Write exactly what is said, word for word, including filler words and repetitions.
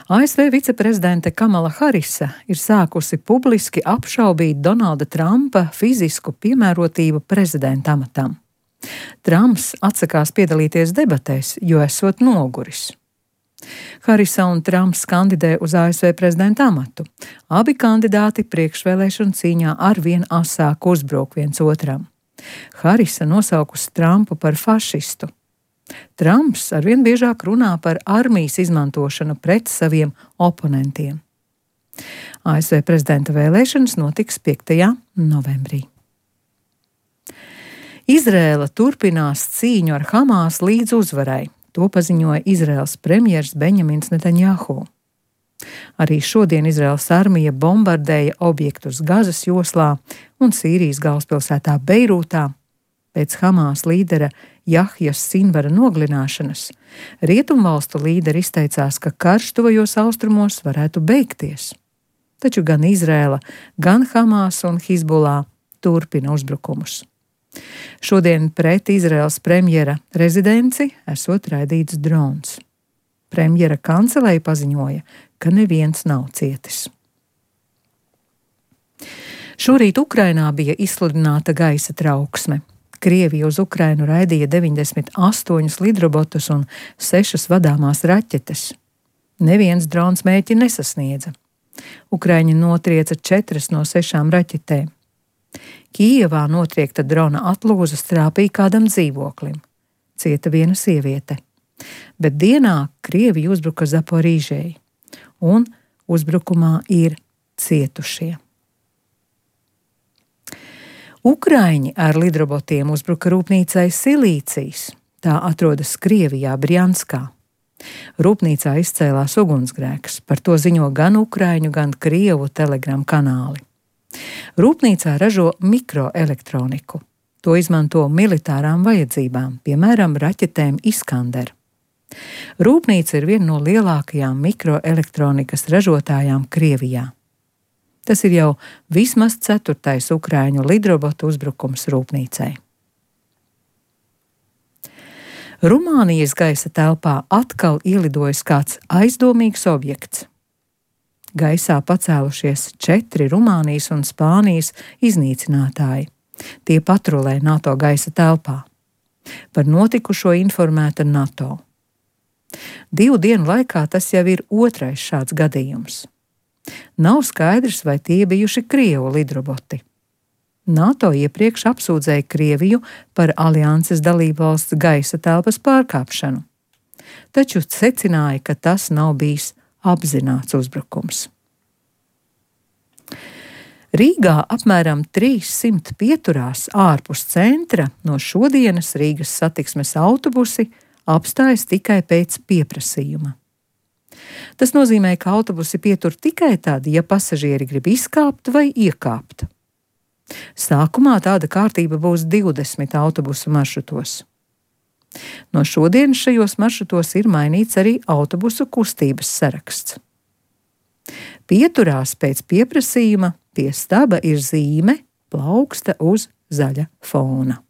A S V viceprezidente Kamala Harisa ir sākusi publiski apšaubīt Donalda Trumpa fizisku piemērotību prezidenta amatam. Trumps atsakās piedalīties debatēs, jo esot noguris. Harisa un Trumps kandidē uz A S V prezidenta amatu. Abi kandidāti priekšvēlēšanu cīņā arvien asāk uzbruk viens otram. Harisa nosaukusi Trumpu par fašistu. Trumps arvien biežāk runā par armijas izmantošanu pret saviem oponentiem. A S V prezidenta vēlēšanas notiks piektajā novembrī. Izrēla turpinās cīņu ar Hamas līdz uzvarai. To paziņoja Izraēlas premjers Benjamins Netanjahu. Arī šodien Izraēlas armija bombardēja objektus Gazas joslā un Sīrijas galvaspilsētā Beirūtā. Pēc Hamas līdera Jahjas Sinvara nogalināšanas rietumvalstu līderi izteicās, ka karš tuvajos austrumos varētu beigties. Taču gan Izrēla, gan Hamas un Hizbullah turpina uzbrukumus. Šodien pret Izraēlas premjera rezidenci esot raidīts drons. Premjera kancelēja paziņoja, ka neviens nav cietis. Šorīt Ukrainā bija izsludināta gaisa trauksme. Krievija uz Ukrainu raidīja deviņdesmit astoņus lidrobotus un sešas vadāmās raķetes. Neviens drons mērķi nesasniedza. Ukraiņi notrieca četras no sešām raķetēm. Kijevā notriekta drona atlūza strāpīja kādam dzīvoklim. Cieta viena sieviete. Bet dienā Krievija uzbruka Zaporīžai, un uzbrukumā ir cietušie. Ukraiņi ar lidrobotiem uzbruka rūpnīcai Silīcijas. Tā atrodas Krievijā, Brjanskā. Rūpnīcā izcēlās ugunsgrēks, par to ziņo gan Ukraiņu, gan Krievu telegram kanāli. Rūpnīcā ražo mikroelektroniku. To izmanto militārām vajadzībām, piemēram, raķetēm Iskander. Rūpnīca ir viena no lielākajām mikroelektronikas ražotājām Krievijā. Tas ir jau vismaz ceturtais Ukraiņu lidrobotu uzbrukums rūpnīcai. Rumānijas gaisa telpā atkal ielidojis kāds aizdomīgs objekts. Gaisā pacēlušies četri Rumānijas un Spānijas iznīcinātāji. Tie patrulē NATO gaisa telpā. Par notikušo informēta NATO. Divu dienu laikā tas jau ir otrais šāds gadījums. Nav skaidrs, vai tie bijuši Krievu lidroboti. NATO iepriekš apsūdzēja Krieviju par alianses dalībvalsts gaisa telpas pārkāpšanu, taču secināja, ka tas nav bijis apzināts uzbrukums. Rīgā apmēram trīssimt pieturās ārpus centra no šodienas Rīgas satiksmes autobusi apstājas tikai pēc pieprasījuma. Tas nozīmē, ka autobusi pietur tikai tad, ja pasažieri grib izkāpt vai iekāpt. Sākumā tāda kārtība būs divdesmit autobusu maršrutos. No šodienas šajos maršrutos ir mainīts arī autobusu kustības saraksts. Pieturās pēc pieprasījuma pie staba ir zīme plauksta uz zaļa fona.